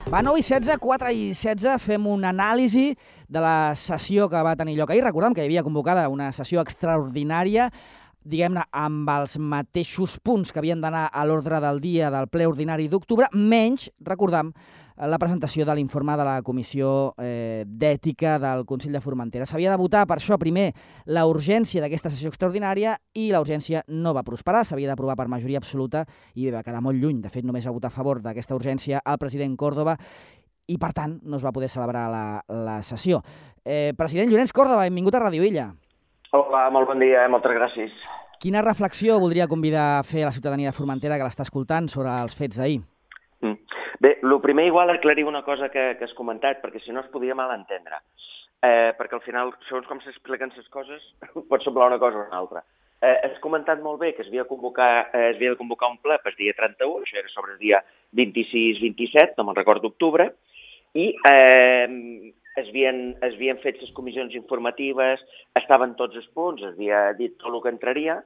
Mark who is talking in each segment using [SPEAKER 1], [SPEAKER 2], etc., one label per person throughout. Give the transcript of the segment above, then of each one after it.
[SPEAKER 1] Va 9:16, 4:16, fem una anàlisi de la sessió que va tenir lloc ahir. Recordem que hi havia convocada una sessió extraordinària, diguem-ne, amb els mateixos punts que havien d'anar a l'ordre del dia del ple ordinari d'octubre, menys, recordem, la presentació de l'informe de la Comissió d'Ètica del Consell de Formentera. S'havia de votar, per això, primer, la urgència d'aquesta sessió extraordinària i la urgència no va prosperar. S'havia d'aprovar per majoria absoluta i va quedar molt lluny. De fet, només va votar a favor d'aquesta urgència el president Córdoba i, per tant, no es va poder celebrar la sessió. President Llorenç Córdoba, benvingut a Ràdio Illa.
[SPEAKER 2] Hola, molt bon dia, moltes gràcies.
[SPEAKER 1] Quina reflexió voldria convidar a fer a la ciutadania de Formentera que l'està escoltant sobre els fets d'ahir?
[SPEAKER 2] Bé, el primer igual aclarir una cosa que has comentat, perquè si no es podia malentendre. Perquè al final, segons com s'expliquen les coses, pot semblar una cosa o una altra. Has comentat molt bé que es havia de convocar un ple per dia 31, això era sobre el dia 26-27, no me'n recordo, d'octubre, i es havien fet les comissions informatives, estaven tots els punts, es havia dit tot el que entraria,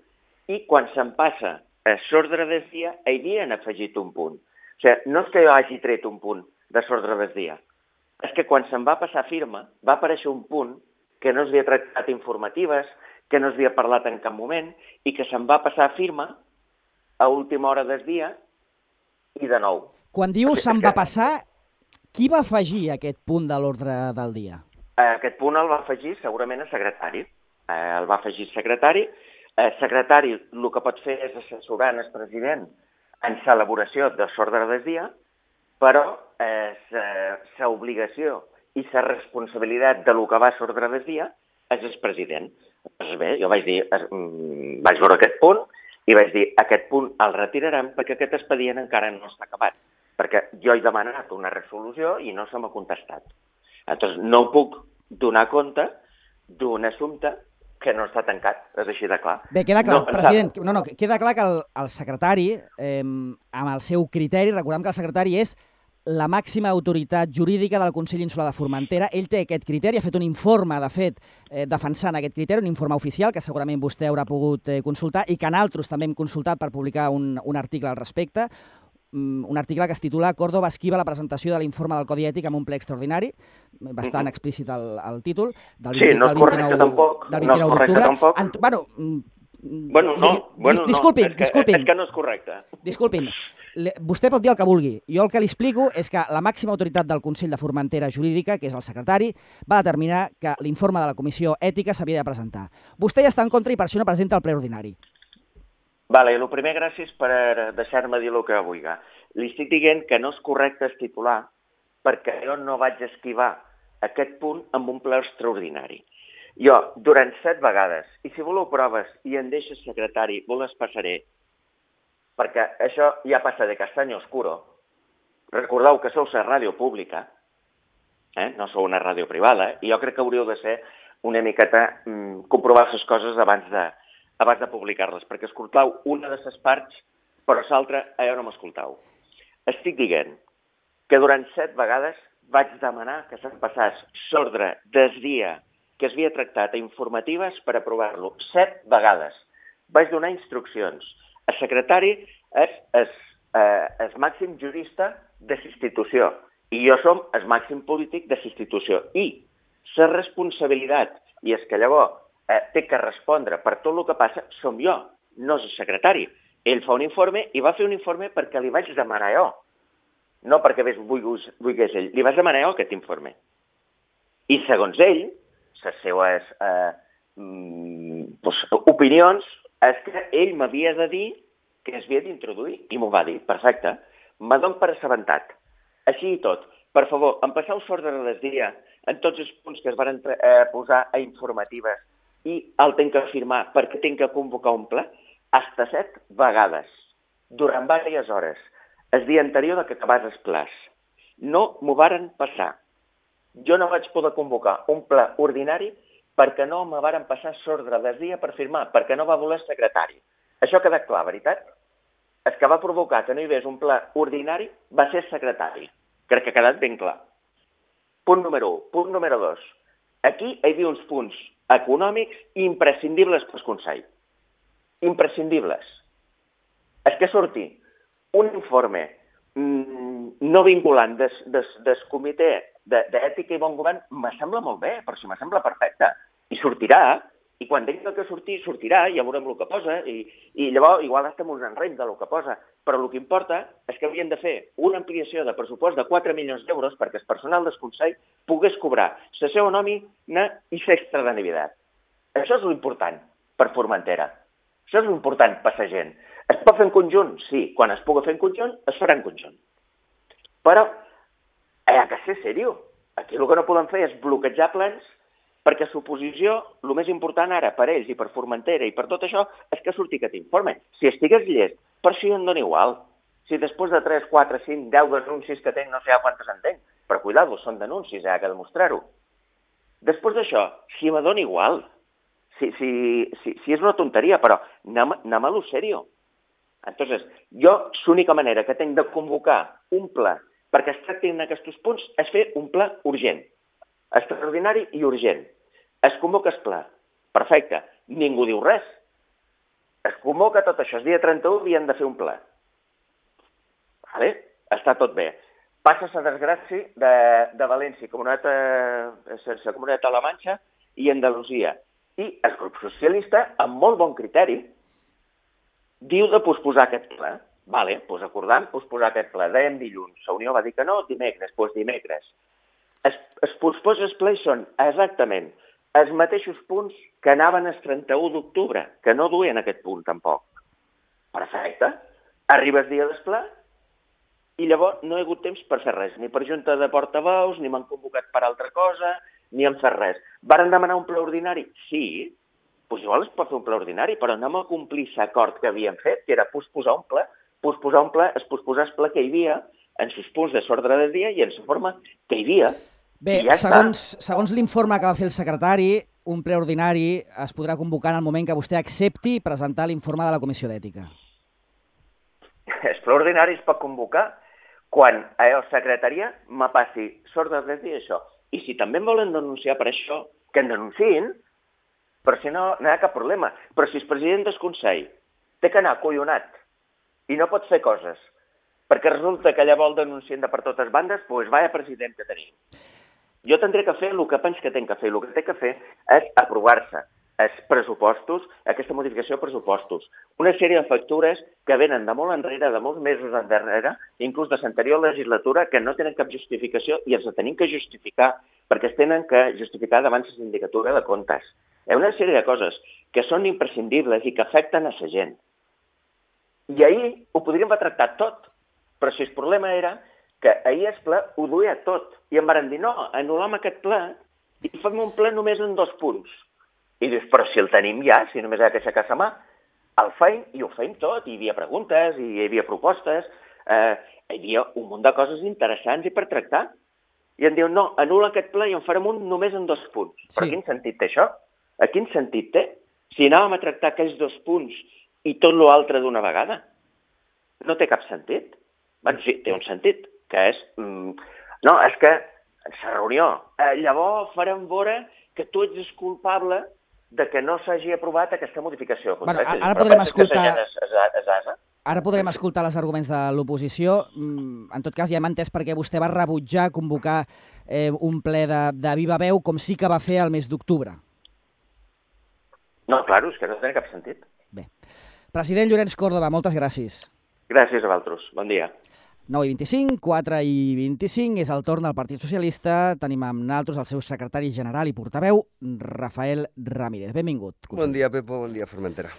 [SPEAKER 2] i quan se'n passa a l'ordre del dia, hi havien afegit un punt. O sigui, no és que jo hagi tret un punt de l'ordre del dia, és que quan se'n va passar firma va aparèixer un punt que no s'havia tractat informatives, que no s'havia parlat en cap moment i que se'n va passar firma a última hora del dia i de nou.
[SPEAKER 1] Quan diu se'n va passar, qui va afegir aquest punt de l'ordre del dia?
[SPEAKER 2] Aquest punt el va afegir segurament el secretari. El va afegir el secretari. El secretari el que pot fer és assessorar el president en l'elaboració de l'ordre del dia, però l'obligació i la responsabilitat de lo que va a l'ordre del dia és el president. Doncs bé, jo vaig veure aquest punt i vaig dir aquest punt el retirarem perquè aquest expedient encara no està acabat, perquè jo he demanat una resolució i no se m'ha contestat. Llavors no puc donar compte d'un assumpte que no està tancat, és així de clar.
[SPEAKER 1] Bé, queda clar, president, queda clar que el secretari, amb el seu criteri, recordem que el secretari és la màxima autoritat jurídica del Consell Insular de Formentera. Ell té aquest criteri, ha fet un informe, de fet, defensant aquest criteri, un informe oficial que segurament vostè haurà pogut consultar i que nosaltres també hem consultat per publicar un article al respecte, un article que es titula Córdoba esquiva la presentació de l'informe del Codi Ètic en un ple extraordinari, bastant explícit el títol, del 29 d'octubre. Disculpin.
[SPEAKER 2] És que no és correcte.
[SPEAKER 1] Disculpin, vostè pot dir el que vulgui. Jo el que li explico és que la màxima autoritat del Consell de Formentera Jurídica, que és el secretari, va determinar que l'informe de la Comissió Ètica s'havia de presentar. Vostè ja està en contra i per això no presenta el ple ordinari.
[SPEAKER 2] Vale, el primer, gràcies per deixar-me dir el que vulgui. Li estic dient que no és correcte el titular perquè jo no vaig esquivar aquest punt amb un ple extraordinari. Jo, durant 7 vegades, i si voleu proves i em deixa el secretari, vos les passaré, perquè això ja passa de castany oscuro. Recordeu que sou la ràdio pública, no sou una ràdio privada, i jo crec que hauríeu de ser una miqueta comprovar les coses abans de publicar-les, perquè escoltau una de les parts, però l'altra allò no m'escoltau. Estic dient que durant 7 vegades vaig demanar que se'n passés l'ordre del dia que es havia tractat a informatives per aprovar-lo. 7 vegades. Vaig donar instruccions. El secretari és el màxim jurista de l'institució i jo som el màxim polític de l'institució. I la responsabilitat, i és que llavors té que respondre per tot el que passa, som jo, no és el secretari. Ell fa un informe i va fer un informe perquè li vaig demanar jo, no perquè volgués ell. Li vaig demanar jo aquest informe. I segons ell, les seues opinions, és que ell m'havia de dir que es havia d'introduir, i m'ho va dir, perfecte. Me dono per assabentat. Així i tot, per favor, em passeu l'ordre del dia en tots els punts que es van posar a informatives i el tinc que firmar perquè tinc que convocar un ple, hasta 7 vegades, durant diverses hores, el dia anterior que acabés el ple. No m'ho varen passar. Jo no vaig poder convocar un ple ordinari perquè no me varen passar l'ordre del dia per firmar, perquè no va voler el secretari. Això ha quedat clar, veritat? El que va provocar que no hi hagués un ple ordinari va ser el secretari. Crec que ha quedat ben clar. Punt número 1. Punt número 2. Aquí hi havia uns punts econòmics imprescindibles pel Consell. Imprescindibles. És que surti un informe no vinculant del comitè d'ètica i bon govern me sembla molt bé, però si me sembla perfecte. I sortirà, i quan tingui que sortir, sortirà, i ja veurem el que posa, i llavors igual estem uns enrems del que posa, però el que importa és que havien de fer una ampliació de pressupost de 4 milions d'euros perquè el personal del Consell pogués cobrar la seva nòmina i l'extra de Navidad. Això és l'important per Formentera. Això és l'important per la gent. Es pot fer en conjunt? Sí. Quan es pugui fer en conjunt, es farà en conjunt. Però hi ha que ser seriós. Aquí el que no podem fer és bloquejar plans perquè l'oposició, el més important ara per ells i per Formentera i per tot això, és que surti aquest informe. Si estigués llest, per això em dona igual. Si després de 3, 4, 5, 10 denúncies que tenc, no sé quantes en tenc, però cuidado, són denúncies, hi ha que demostrar-ho. Després d'això, si me dona igual, si és una tonteria, però anem a lo serio. Entonces, jo, l'única manera que tinc de convocar un ple perquè es tractin aquests punts és fer un ple urgent, extraordinari i urgent. Es convoca el ple. Perfecte. Ningú diu res. Es convoca tot això. El dia 31 havien de fer un ple. Vale? Està tot bé. Passa la desgràcia de València, la comunitat de la Manxa i Andalusia. I el grup socialista, amb molt bon criteri, diu de posposar aquest ple. Vale, doncs acordam posposar aquest ple. Dèiem dilluns. La Unió va dir que no, dimecres, doncs dimecres. Els posposos plens són exactament els mateixos punts que anaven el 31 d'octubre, que no duien aquest punt tampoc. Perfecte. Arriba el dia del ple i llavors no hi ha hagut temps per fer res, ni per junta de portaveus, ni m'han convocat per altra cosa, ni han fet res. Varen demanar un ple ordinari? Sí. Doncs igual es pot fer un ple ordinari, però anem a complir l'acord que havíem fet, que era posposar un ple, es posposar el ple que hi havia en els punts de l'ordre del dia i en la forma que hi havia.
[SPEAKER 1] Bé,
[SPEAKER 2] ja
[SPEAKER 1] segons l'informe que va fer el secretari, un ple ordinari es podrà convocar en el moment que vostè accepti presentar l'informe de la Comissió d'Ètica.
[SPEAKER 2] El ple ordinari es pot convocar quan la secretaria me passi l'ordre del dia i això. I si també em volen denunciar per això, que em denunciïn, però si no, no hi ha cap problema. Però si el president del Consell té que anar acollonat i no pot fer coses, perquè resulta que llavors el denuncien de per totes bandes, doncs vaya president que tenim. Jo tindré que fer el que penso que tinc que fer. El que té que fer és aprovar-se els pressupostos, aquesta modificació de pressupostos. Una sèrie de factures que venen de molt enrere, de molts mesos enrere, inclús de l'anterior legislatura, que no tenen cap justificació i els tenim que justificar perquè es tenen que justificar davant la sindicatura de comptes. Hi ha una sèrie de coses que són imprescindibles i que afecten a la gent. I ahir ho podríem haver tractat tot, però si el problema era que ahir el ple ho duia tot. I em van dir, no, anul·lem aquest ple i fem un ple només en 2 punts. I dius, però si el tenim ja, si només hi ha que aixecar la mà, el feim i ho feim tot. Hi havia preguntes, hi havia propostes, hi havia un munt de coses interessants i per tractar. I em diuen, no, anul·la aquest ple i en farem un només en 2 punts. Sí. Però quin sentit té això? A quin sentit té? Si anàvem a tractar aquells 2 punts i tot l'altre d'una vegada, no té cap sentit. Bé, sí, té un sentit, que és... No, és que la reunió, llavors farem veure que tu ets el culpable de que no s'hagi aprovat aquesta modificació.
[SPEAKER 1] Bueno, ara podrem escoltar... Ara podrem escoltar els arguments de l'oposició. En tot cas, ja hem entès per què vostè va rebutjar convocar un ple de viva veu, com sí que va fer el mes d'octubre.
[SPEAKER 2] No, clar, és que no té cap sentit.
[SPEAKER 1] Bé. President Llorenç Córdoba, moltes gràcies.
[SPEAKER 2] Gràcies a vosaltres. Bon dia.
[SPEAKER 1] 9:25, 4:25, és el torn del Partit Socialista. Tenim amb nosaltres el seu secretari general i portaveu, Rafael Ramírez. Benvingut.
[SPEAKER 3] Bon dia, Pepo, bon dia, Formentera.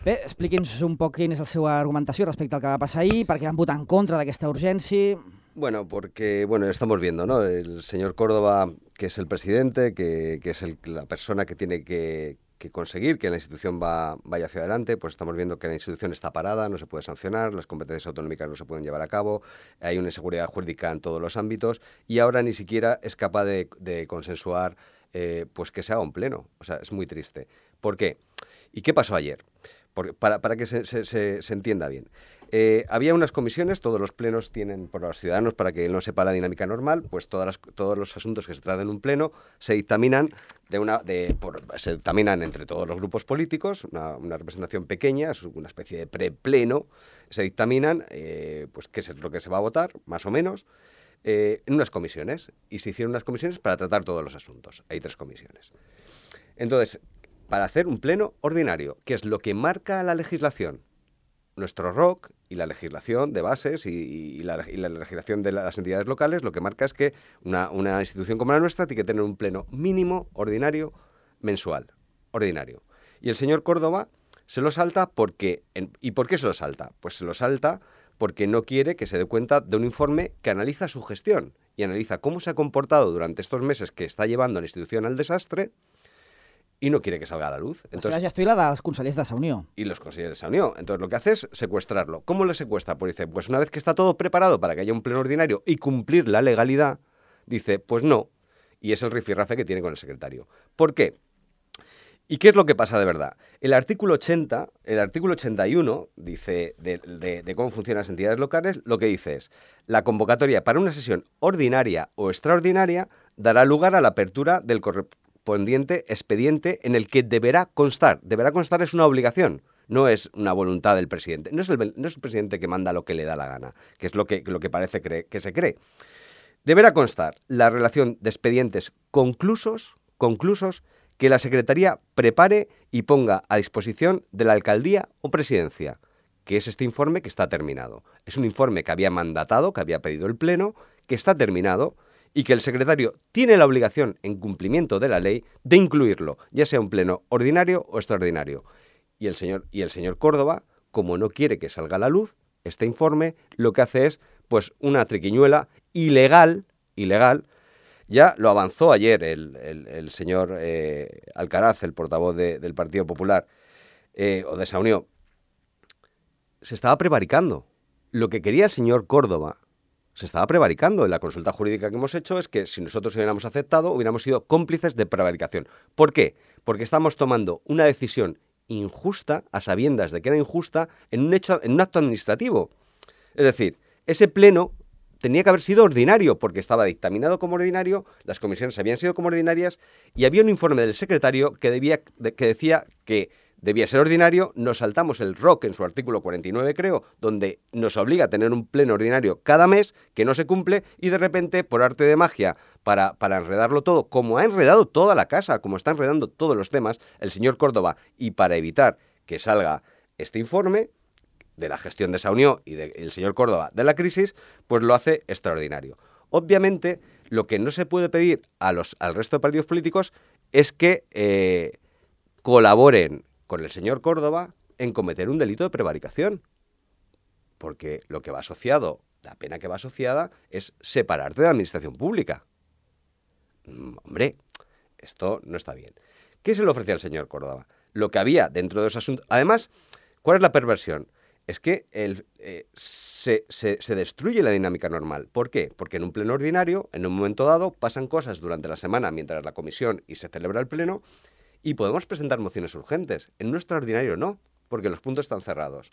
[SPEAKER 1] Bé, expliqui'ns un poc quina és la seva argumentació respecte al que va passar ahir, per què van votar en contra d'aquesta urgència.
[SPEAKER 3] Bueno, porque, estamos viendo, ¿no? El señor Córdoba, que es el presidente, que es la persona que tiene que conseguir que la institución vaya hacia adelante, pues estamos viendo que la institución está parada, no se puede sancionar, las competencias autonómicas no se pueden llevar a cabo, hay una inseguridad jurídica en todos los ámbitos y ahora ni siquiera es capaz de consensuar pues que se haga un pleno. O sea, es muy triste. ¿Por qué? ¿Y qué pasó ayer? Para que se entienda bien. Había unas comisiones, todos los plenos tienen, por los ciudadanos, para que no sepa la dinámica normal, pues todos los asuntos que se tratan en un pleno se dictaminan se dictaminan entre todos los grupos políticos, una representación pequeña, es una especie de prepleno, se dictaminan, pues qué es lo que se va a votar, más o menos, en unas comisiones. Y se hicieron unas comisiones para tratar todos los asuntos. Hay 3 comisiones. Entonces, para hacer un pleno ordinario, que es lo que marca la legislación, nuestro ROC y la legislación de bases y la legislación de las entidades locales, lo que marca es que una institución como la nuestra tiene que tener un pleno mínimo ordinario mensual, ordinario. Y el señor Córdoba se lo salta porque... ¿Y por qué se lo salta? Pues se lo salta porque no quiere que se dé cuenta de un informe que analiza su gestión y analiza cómo se ha comportado durante estos meses que está llevando a la institución al desastre, y no quiere que salga a la luz.
[SPEAKER 1] Entonces, la gestió la dels consellers de Sa Unió.
[SPEAKER 3] Y los consellers de Sa Unió. Entonces lo que hace es secuestrarlo. ¿Cómo le secuestra? Pues dice, pues una vez que está todo preparado para que haya un pleno ordinario y cumplir la legalidad, dice, pues no. Y es el rifirrafe que tiene con el secretario. ¿Por qué? ¿Y qué es lo que pasa de verdad? El artículo 81, dice de cómo funcionan las entidades locales, lo que dice es, la convocatoria para una sesión ordinaria o extraordinaria dará lugar a la apertura del correspondiente expediente en el que deberá constar. Deberá constar es una obligación, no es una voluntad del presidente. No es el presidente que manda lo que le da la gana, que es lo que parece que se cree. Deberá constar la relación de expedientes conclusos que la Secretaría prepare y ponga a disposición de la Alcaldía o Presidencia, que es este informe que está terminado. Es un informe que había mandatado, que había pedido el Pleno, que está terminado y que el secretario tiene la obligación, en cumplimiento de la ley, de incluirlo, ya sea un pleno ordinario o extraordinario. Y el señor Córdoba, como no quiere que salga a la luz este informe, lo que hace es, pues, una triquiñuela ilegal, ya lo avanzó ayer el señor Alcaraz, el portavoz del Partido Popular, o de Sa Unió, se estaba prevaricando. Lo que quería el señor Córdoba se estaba prevaricando. En la consulta jurídica que hemos hecho es que si nosotros hubiéramos aceptado, hubiéramos sido cómplices de prevaricación. ¿Por qué? Porque estamos tomando una decisión injusta, a sabiendas de que era injusta, en un acto administrativo. Es decir, ese pleno tenía que haber sido ordinario, porque estaba dictaminado como ordinario, las comisiones habían sido como ordinarias, y había un informe del secretario que decía que debía ser ordinario. Nos saltamos el ROC en su artículo 49, creo, donde nos obliga a tener un pleno ordinario cada mes, que no se cumple, y de repente, por arte de magia, para enredarlo todo, como ha enredado toda la casa, como está enredando todos los temas, el señor Córdoba, y para evitar que salga este informe de la gestión de Sa Unió y del señor Córdoba de la crisis, pues lo hace extraordinario. Obviamente, lo que no se puede pedir al resto de partidos políticos es que colaboren con el señor Córdoba en cometer un delito de prevaricación, porque lo que va asociado, la pena que va asociada, es separarte de la administración pública. Hombre, esto no está bien. ¿Qué se le ofrecía al señor Córdoba? Lo que había dentro de esos asuntos. Además, ¿cuál es la perversión? Es que se destruye la dinámica normal. ¿Por qué? Porque en un pleno ordinario, en un momento dado, pasan cosas durante la semana mientras la comisión y se celebra el pleno, y podemos presentar mociones urgentes. En un extraordinario no, porque los puntos están cerrados.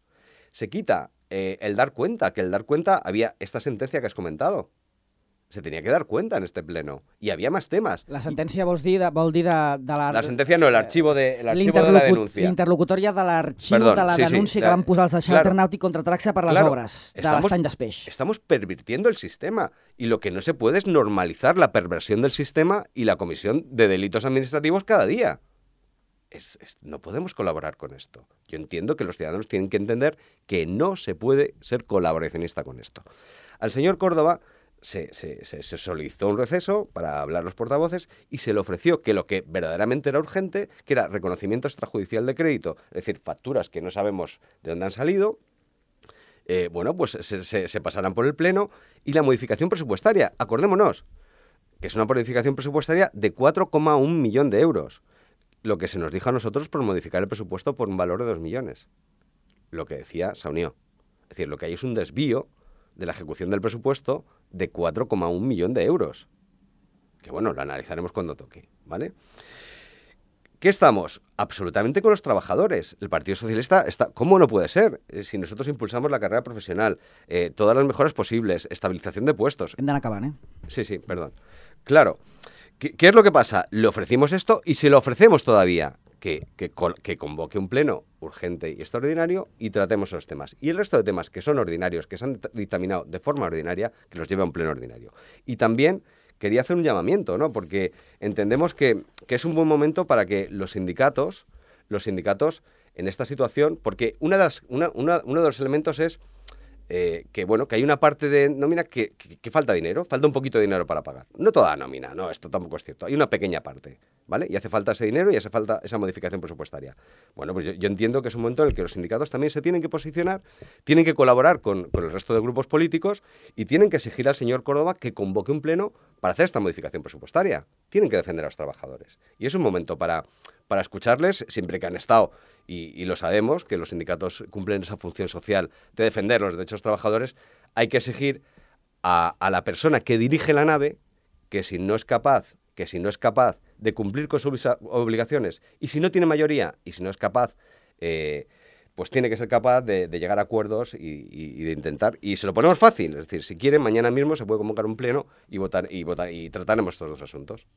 [SPEAKER 3] Se quita el dar cuenta, que el dar cuenta había esta sentencia que has comentado. Se tenía que dar cuenta en este pleno. Y había más temas.
[SPEAKER 1] La sentència vol dir de la...
[SPEAKER 3] La sentencia no, el archivo de la denuncia.
[SPEAKER 1] L'interlocutòria de l'arxiu de la denúncia que van posar els de Charter Nàutic contra Traxa per les obres de l'Estany d'Espeix.
[SPEAKER 3] Estamos pervirtiendo el sistema. Y lo que no se puede es normalizar la perversión del sistema y la comisión de delitos administrativos cada día. No podemos colaborar con esto. Yo entiendo que los ciudadanos tienen que entender que no se puede ser colaboracionista con esto. Al señor Córdoba se solicitó un receso para hablar los portavoces y se le ofreció que lo que verdaderamente era urgente, que era reconocimiento extrajudicial de crédito, es decir, facturas que no sabemos de dónde han salido, pues se pasarán por el Pleno, y la modificación presupuestaria. Acordémonos que es una modificación presupuestaria de 4,1 millón de euros. Lo que se nos dijo a nosotros por modificar el presupuesto por un valor de 2 millones. Lo que decía Sa Unió. Es decir, lo que hay es un desvío de la ejecución del presupuesto de 4,1 millón de euros. Que bueno, lo analizaremos cuando toque, ¿vale? ¿Qué estamos? Absolutamente con los trabajadores. El Partido Socialista está... ¿Cómo no puede ser? Si nosotros impulsamos la carrera profesional, todas las mejoras posibles, estabilización de puestos...
[SPEAKER 1] Hem d'anar acabant,
[SPEAKER 3] Sí, perdón. Claro. ¿Qué es lo que pasa? Le ofrecimos esto y se lo ofrecemos todavía. Que convoque un pleno urgente y extraordinario y tratemos esos temas. Y el resto de temas que son ordinarios, que se han dictaminado de forma ordinaria, que los lleve a un pleno ordinario. Y también quería hacer un llamamiento, ¿no? Porque entendemos que es un buen momento para que los sindicatos en esta situación, porque uno de los elementos es que hay una parte de nómina que falta dinero, falta un poquito de dinero para pagar. No toda la nómina, no, esto tampoco es cierto. Hay una pequeña parte, ¿vale? Y hace falta ese dinero y hace falta esa modificación presupuestaria. Bueno, pues yo entiendo que es un momento en el que los sindicatos también se tienen que posicionar, tienen que colaborar con el resto de grupos políticos y tienen que exigir al señor Córdoba que convoque un pleno para hacer esta modificación presupuestaria. Tienen que defender a los trabajadores. Y es un momento para escucharles, siempre que han estado, y lo sabemos, que los sindicatos cumplen esa función social de defender los derechos de los trabajadores, hay que exigir a la persona que dirige la nave que si no es capaz de cumplir con sus obligaciones y si no tiene mayoría y si no es capaz, pues tiene que ser capaz de llegar a acuerdos y de intentar, y se lo ponemos fácil, es decir, si quieren, mañana mismo se puede convocar un pleno y trataremos estos dos asuntos.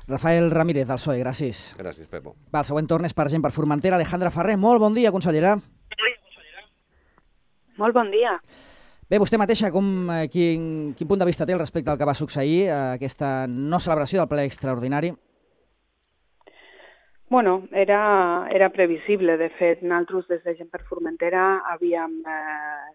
[SPEAKER 1] Rafael Ramírez, del PSOE, gràcies.
[SPEAKER 3] Gràcies, Pepo.
[SPEAKER 1] Va, el següent torn és per gent per Formentera. Alejandra Ferrer, molt bon dia, consellera.
[SPEAKER 4] Molt bon dia.
[SPEAKER 1] Bé, vostè mateixa, quin punt de vista té respecte al que va succeir, aquesta no celebració del ple extraordinari?
[SPEAKER 4] Bueno, era previsible. De fet, nosaltres des de Gent per Formentera havíem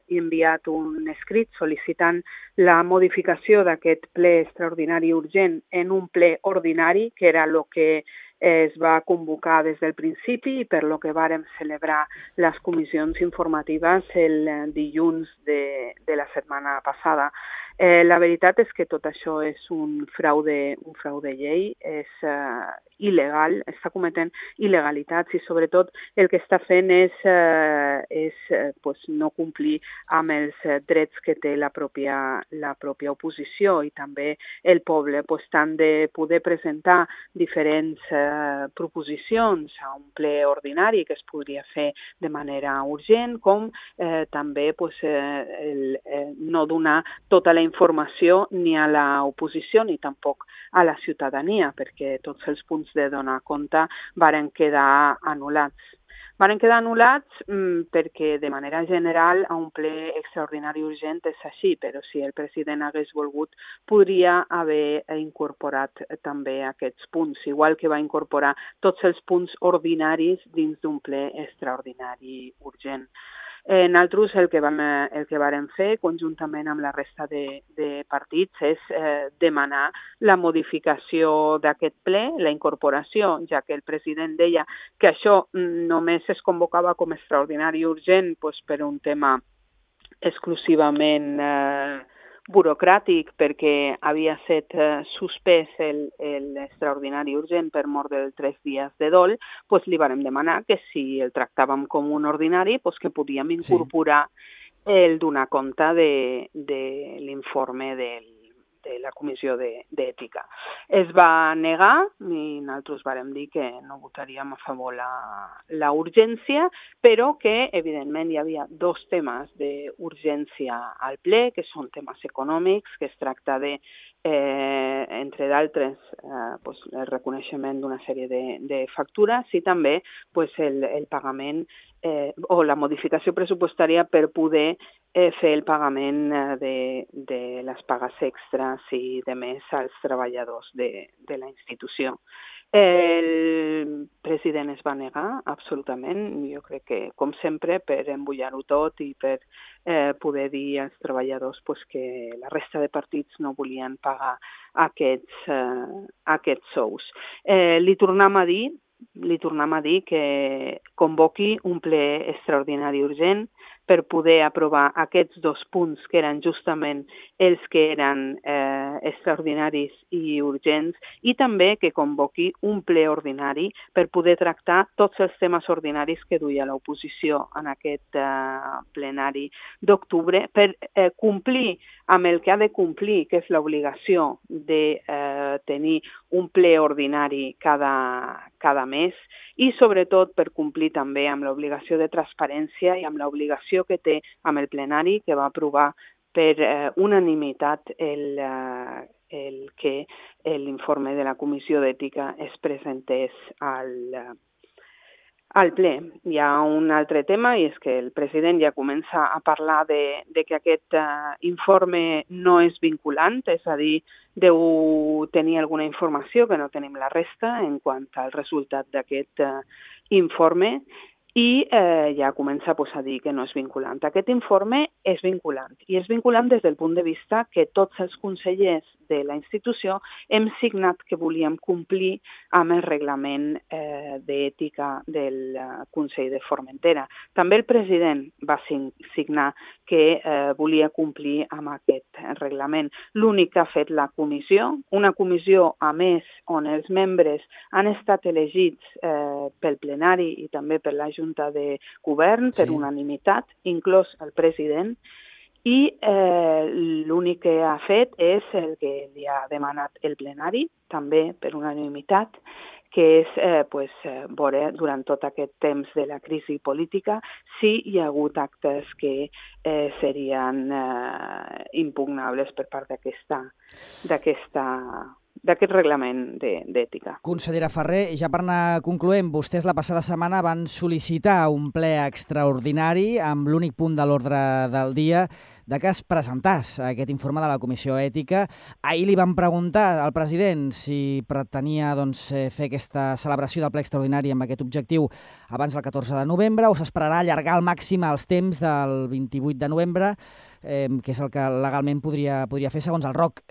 [SPEAKER 4] enviat un escrit sol·licitant la modificació d'aquest ple extraordinari urgent en un ple ordinari, que era el que es va convocar des del principi i per lo que vàrem celebrar les comissions informatives el dilluns de la setmana passada. La veritat és que tot això és un frau de llei, és il·legal, està cometent il·legalitats i sobretot el que està fent és no complir amb els drets que té la pròpia oposició i també el poble. Tant de poder presentar diferents proposicions a un ple ordinari que es podria fer de manera urgent, com també no donar tota la informació ni a l'oposició ni tampoc a la ciutadania, perquè tots els punts de donar compte varen quedar anul·lats. Varen quedar anul·lats perquè de manera general a un ple extraordinari urgent és així, però si el president hagués volgut podria haver incorporat també aquests punts, igual que va incorporar tots els punts ordinaris dins d'un ple extraordinari urgent. Nosaltres el que vàrem fer conjuntament amb la resta de partits és demanar la modificació d'aquest ple, la incorporació, ja que el president deia que això només es convocava com extraordinari urgent per un tema exclusivament burocràtic perquè havia estat suspès l'extraordinari urgent per mort dels 3 dies de dol, li vàrem demanar que si el tractàvem com un ordinari, que podíem incorporar el donar compte de l'informe de la Comissió d'Ètica. Es va negar i nosaltres vàrem dir que no votaríem a favor la urgència, però que evidentment hi havia 2 temes d'urgència al ple, que són temes econòmics, que es tracta de, entre d'altres, el reconeixement d'una sèrie de factures i també el pagament o la modificació pressupostària per poder fer el pagament de les pagues extras i de més als treballadors de la institució. El president es va negar absolutament, jo crec que, com sempre, per embullar-ho tot i per poder dir als treballadors que la resta de partits no volien pagar aquests sous. Li tornem a dir que convoqui un ple extraordinari urgent per poder aprovar aquests 2 punts que eren justament els que eren extraordinaris i urgents i també que convoqui un ple ordinari per poder tractar tots els temes ordinaris que duia l'oposició en aquest plenari d'octubre per complir amb el que ha de complir, que és l'obligació de tenir un ple ordinari cada mes i sobretot per complir també amb l'obligació de transparència i amb l'obligació que té amb el plenari que va aprovar per unanimitat el que l'informe de la Comissió d'Ètica es presentés al ple. Hi ha un altre tema i és que el president ja comença a parlar de que aquest informe no és vinculant, és a dir, deu tenir alguna informació que no tenim la resta en quant al resultat d'aquest informe i ja comença a dir que no és vinculant. Aquest informe és vinculant i és vinculant des del punt de vista que tots els consellers de la institució hem signat que volíem complir amb el reglament d'ètica del Consell de Formentera. També el president va signar que volia complir amb aquest reglament. L'únic que ha fet la comissió, una comissió a més on els membres han estat elegits pel plenari i també per la Junta de Govern per unanimitat, inclòs el president, i l'únic que ha fet és el que li ha demanat el plenari, també per unanimitat, que és veure durant tot aquest temps de la crisi política si hi ha hagut actes que serien impugnables per part d'aquest reglament d'ètica.
[SPEAKER 1] Consellera Ferrer, ja per anar concloent, vostès la passada setmana van sol·licitar un ple extraordinari amb l'únic punt de l'ordre del dia de que es presentàs aquest informe de la Comissió Ètica. Ahir li van preguntar al president si pretenia fer aquesta celebració del ple extraordinari amb aquest objectiu abans del 14 de novembre o s'esperarà allargar al màxim els temps del 28 de novembre, que és el que legalment podria fer segons el ROC.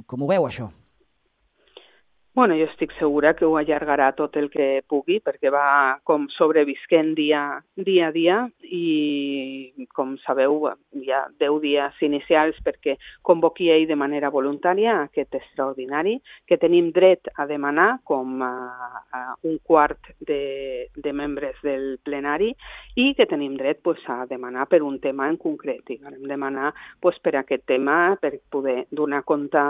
[SPEAKER 1] Com ho veu, això?
[SPEAKER 4] Bueno, jo estic segura que ho allargarà tot el que pugui perquè va com sobrevisquent dia a dia i, com sabeu, hi ha 10 dies inicials perquè convoqui ell de manera voluntària aquest extraordinari que tenim dret a demanar com un quart de membres del plenari i que tenim dret a demanar per un tema en concret. I vam demanar per aquest tema per poder donar compte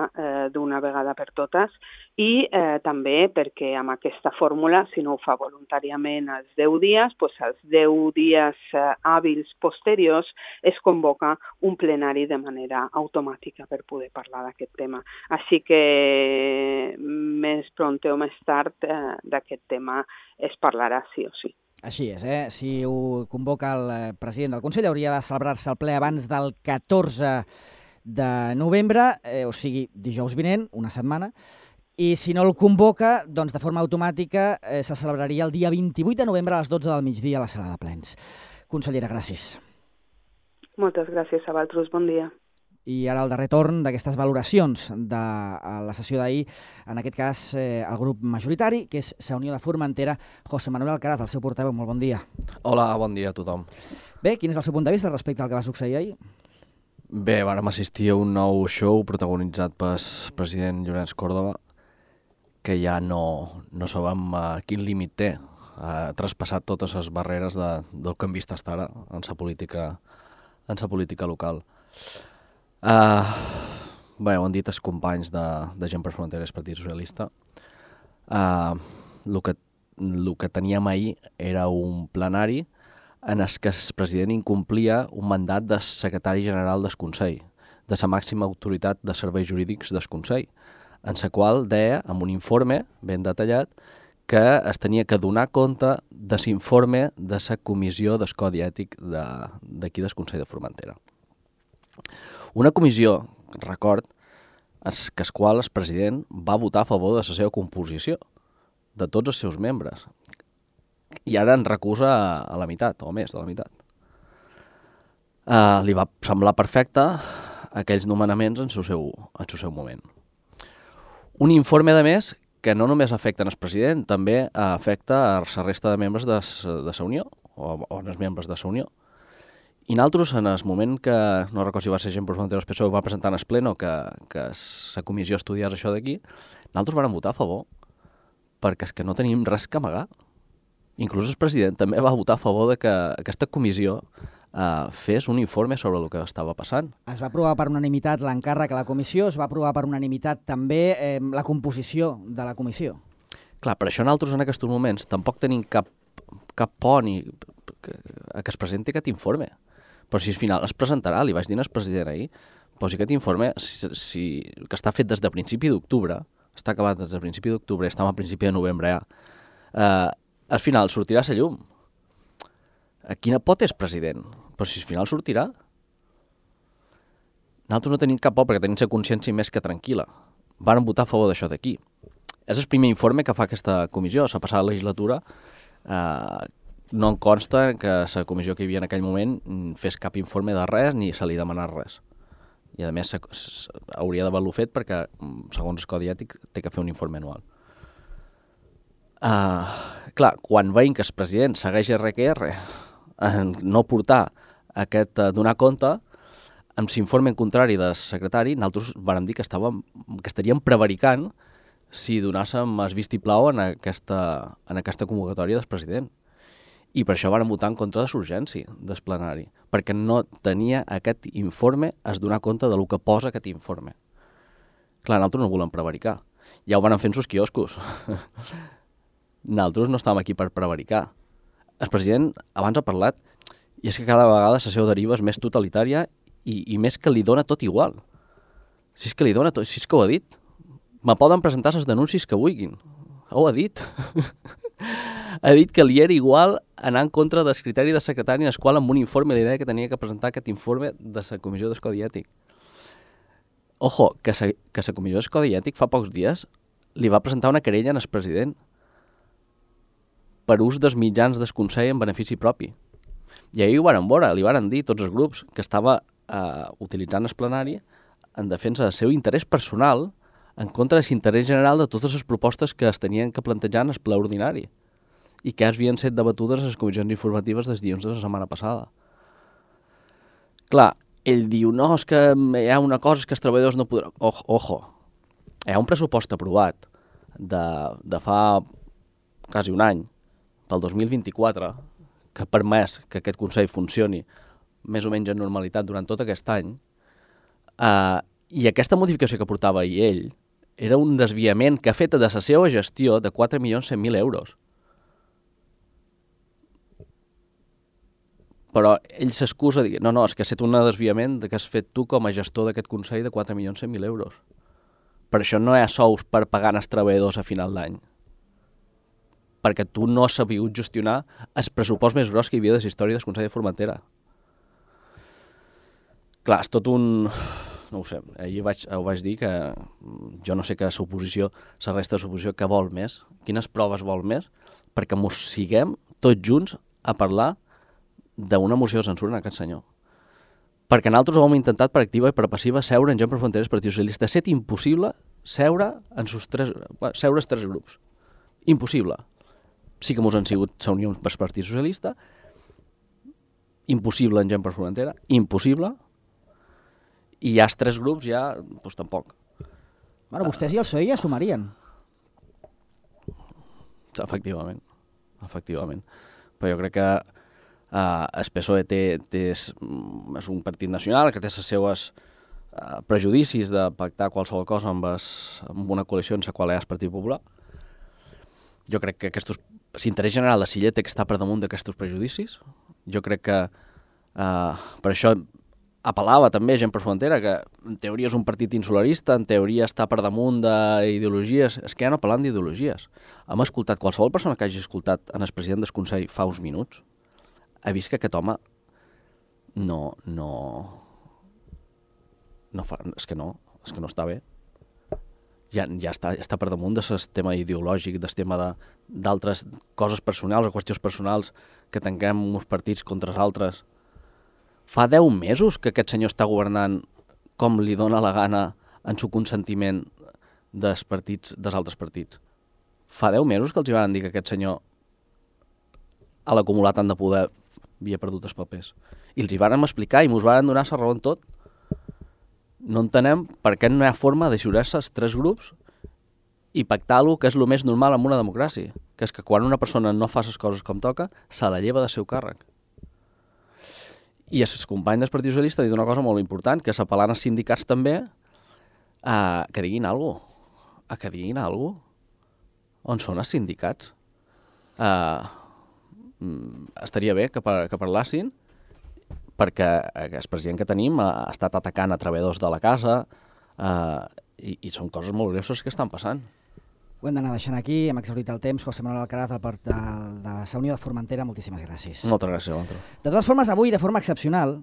[SPEAKER 4] d'una vegada per totes i també perquè amb aquesta fórmula, si no ho fa voluntàriament als 10 dies, als 10 dies hàbils posteriors es convoca un plenari de manera automàtica per poder parlar d'aquest tema. Així que més pront o més tard d'aquest tema es parlarà sí o sí.
[SPEAKER 1] Així és, Si ho convoca el president del Consell hauria de celebrar-se el ple abans del 14 de novembre, o sigui, dijous vinent, una setmana, i si no el convoca, doncs de forma automàtica se celebraria el dia 28 de novembre a les 12 del migdia a la sala de plens. Consellera, gràcies.
[SPEAKER 4] Moltes gràcies a vosaltres, bon dia.
[SPEAKER 1] I ara el darrer torn d'aquestes valoracions de la sessió d'ahir, en aquest cas el grup majoritari, que és Unió de Formentera. José Manuel Alcaraz, el seu portaveu, molt bon dia.
[SPEAKER 5] Hola, bon dia a tothom.
[SPEAKER 1] Bé, quin és el seu punt de vista respecte al que va succeir ahir?
[SPEAKER 5] Bé, vàrem assistir a un nou show protagonitzat pel president Llorenç Córdoba, que ja no sabem quin límit té. Ha traspassat totes les barreres del que hem vist fins ara en la política local. Bé, ho han dit els companys de Gent per Fronteres, Partit Socialista. El que teníem ahir era un plenari en el que el president incomplia un mandat del secretari general del Consell, de la màxima autoritat de serveis jurídics del Consell, en la qual deia, amb un informe ben detallat, que es tenia que donar compte de l'informe de la comissió del Codi Ètic d'aquí del Consell de Formentera. Una comissió, record, que el qual el president va votar a favor de la seva composició, de tots els seus membres, i ara en recusa a la meitat, o més de la meitat. Li va semblar perfecte aquells nomenaments en el seu moment. Un informe, a més, que no només afecta el president, també afecta a la resta de membres de la Unió, o els membres de la Unió. I nosaltres, en el moment que, no recordo si va ser Gent per Fronteres PSOE, va presentar en el pleno que la comissió estudiés això d'aquí, nosaltres vam votar a favor, perquè és que no tenim res que amagar. Inclús el president també va votar a favor de que aquesta comissió fes un informe sobre el que estava passant.
[SPEAKER 1] Es va aprovar per unanimitat l'encàrrec a la comissió, es va aprovar per unanimitat també la composició de la comissió.
[SPEAKER 5] Clar, per això nosaltres en aquests moments tampoc tenim cap por ni que es presenti aquest informe. Però si al final es presentarà, li vaig dir al president ahir, però si aquest informe, que està fet des de principi d'octubre, està acabat des de principi d'octubre, estem a principi de novembre ja, al final sortirà a la llum. Quina por és president? Però si al final sortirà. Nosaltres no tenim cap por perquè tenim la consciència més que tranquil·la. Varen votar a favor d'això d'aquí. És el primer informe que fa aquesta comissió. La passada legislatura no em consta que la comissió que hi havia en aquell moment fes cap informe de res ni se li demanés res. I a més hauria d'haver-lo fet perquè, segons el codi ètic, té que fer un informe anual. Clar, quan veiem que el president segueix RQR en no portar aquest donar compte, amb l'informe en contrari del secretari, nosaltres vam dir que estaríem prevaricant si donàssim el vistiplau en aquesta convocatòria del president. I per això van votar en contra de l'urgència del plenari, perquè no tenia aquest informe a donar compte del que posa aquest informe. Clar, nosaltres no volem prevaricar. Ja ho van fer en els quioscos. Nosaltres no estàvem aquí per prevaricar. El president abans ha parlat, i és que cada vegada la seva deriva és més totalitària i més que li dona tot igual. Si és que li dona tot, si és que ho ha dit. Me poden presentar les denúncies que vulguin. Ho ha dit. Ha dit que li era igual anar en contra del criteri de secretari en el qual amb un informe li deia que tenia que presentar aquest informe de la Comissió del Codi Ètic. Ojo, que la Comissió del Codi Ètic fa pocs dies li va presentar una querella en el president per ús dels mitjans del Consell en benefici propi. I ahir ho varen veure, li varen dir tots els grups que estava utilitzant el plenari en defensa del seu interès personal en contra de l'interès general de totes les propostes que es tenien que plantejar en el ple ordinari i que havien estat debatudes a les comissions informatives dels dilluns de la setmana passada. Clar, ell diu, no, és que hi ha una cosa que els treballadors no podran... Ojo, hi ha un pressupost aprovat de fa quasi un any, pel 2024, que ha permès que aquest Consell funcioni més o menys en normalitat durant tot aquest any, i aquesta modificació que portava ell era un desviament que ha fet de la seva gestió de 4.100.000 euros. Però ell s'excusa dient, no, és que ha estat un desviament que has fet tu com a gestor d'aquest Consell de 4.100.000 euros. Per això no hi ha sous per pagar als treballadors a final d'any. Perquè tu no has sabut gestionar el pressupost més gros que hi havia de la història del Consell de Formentera. Clar, és tot un... No ho sé, ahir ho vaig dir que jo no sé que l'oposició, la resta de l'oposició, que vol més, quines proves vol més, perquè mos siguem tots junts a parlar d'una moció de censura en aquest senyor. Perquè nosaltres ho hem intentat per activa i per passiva seure en Gent per Fronteres Partit Socialista. Ha estat impossible seure els tres grups. Impossible. Sí que mos han sigut reunions per Partit Socialista, impossible en Gent per Frontera, impossible, i ja els tres grups ja, doncs tampoc.
[SPEAKER 1] Bueno, vostès i el PSOE ja sumarien.
[SPEAKER 5] Efectivament. Però jo crec que el PSOE és un partit nacional que té els seus prejudicis de pactar qualsevol cosa amb una coalició en la qual hi ha el Partit Popular. Jo crec que l'interès general de Silla té que estar per damunt d'aquests prejudicis. Jo crec que per això apel·lava també Gent per Frontera, que en teoria és un partit insularista, en teoria està per damunt d'ideologies. És que ja no parlant d'ideologies. Hem escoltat, qualsevol persona que hagi escoltat en el president del Consell fa uns minuts, ha vist que aquest home és que no està bé. Ja està per damunt del tema ideològic, del tema d'altres coses personals o qüestions personals que tanquem uns partits contra els altres. Fa 10 mesos que aquest senyor està governant com li dona la gana en su consentiment dels altres partits. Fa 10 mesos que els van dir que aquest senyor a l'acumular tant de poder havia perdut els papers. I els hi vàrem explicar i ens van donar la raó en tot. No entenem per què no hi ha forma d'eixurar-se els tres grups i pactar el que és el més normal en una democràcia, que és que quan una persona no fa les coses com toca, se la lleva del seu càrrec. I el company del Partit Socialista ha dit una cosa molt important, que s'apel·lant als sindicats també que diguin alguna cosa. Que diguin alguna cosa. On són els sindicats? Estaria bé que parlassin, perquè el president que tenim ha estat atacant a treballadors de la casa i són coses molt greus que estan passant.
[SPEAKER 1] Ho hem d'anar deixant aquí, hem exhaurit el temps. José Manuel Alcaraz, de la Unió de Formentera, moltíssimes gràcies.
[SPEAKER 5] Moltes gràcies, Alonso.
[SPEAKER 1] De totes formes, avui, de forma excepcional,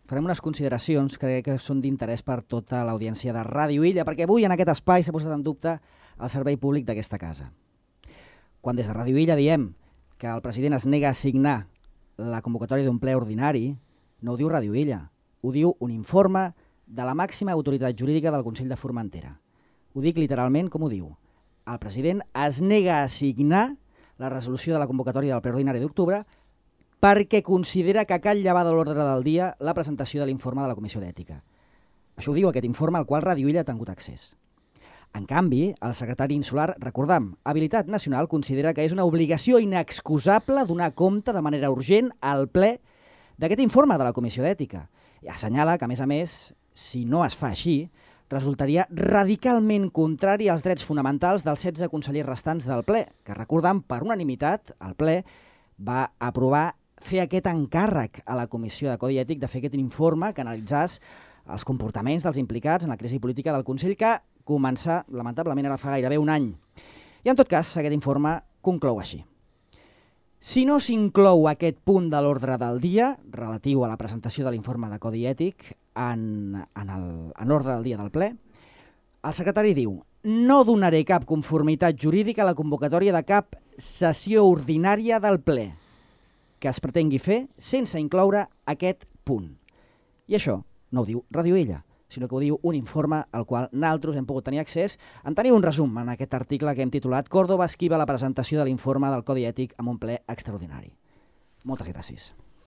[SPEAKER 1] farem unes consideracions que crec que són d'interès per tota l'audiència de Ràdio Illa, perquè avui en aquest espai s'ha posat en dubte el servei públic d'aquesta casa. Quan des de Ràdio Illa diem que el president es nega a signar la convocatòria d'un ple ordinari, no ho diu Ràdio Illa, ho diu un informe de la màxima autoritat jurídica del Consell de Formentera. Ho dic literalment com ho diu. El president es nega a signar la resolució de la convocatòria del ple ordinari d'octubre perquè considera que cal llevar de l'ordre del dia la presentació de l'informe de la Comissió d'Ètica. Això ho diu aquest informe al qual Ràdio Illa ha tingut accés. En canvi, el secretari insular, recordam, Habilitat Nacional, considera que és una obligació inexcusable donar compte de manera urgent al ple d'aquest informe de la Comissió d'Ètica. I assenyala que, a més, si no es fa així, resultaria radicalment contrari als drets fonamentals dels 16 consellers restants del ple, que, recordam, per unanimitat, el ple va aprovar fer aquest encàrrec a la Comissió de Codi Ètic de fer aquest informe que analitzés els comportaments dels implicats en la crisi política del Consell, que començà, lamentablement, ara fa gairebé un any. I, en tot cas, aquest informe conclou així. Si no s'inclou aquest punt de l'ordre del dia, relatiu a la presentació de l'informe de Codi Ètic en l'ordre del dia del ple, el secretari diu: no donaré cap conformitat jurídica a la convocatòria de cap sessió ordinària del ple que es pretengui fer sense incloure aquest punt. I això no ho diu Ràdio Illa, sinó que ho diu un informe al qual nosaltres hem pogut tenir accés. En teniu un resum en aquest article que hem titulat Córdoba esquiva la presentació de l'informe del Codi Ètic en un ple extraordinari. Moltes gràcies.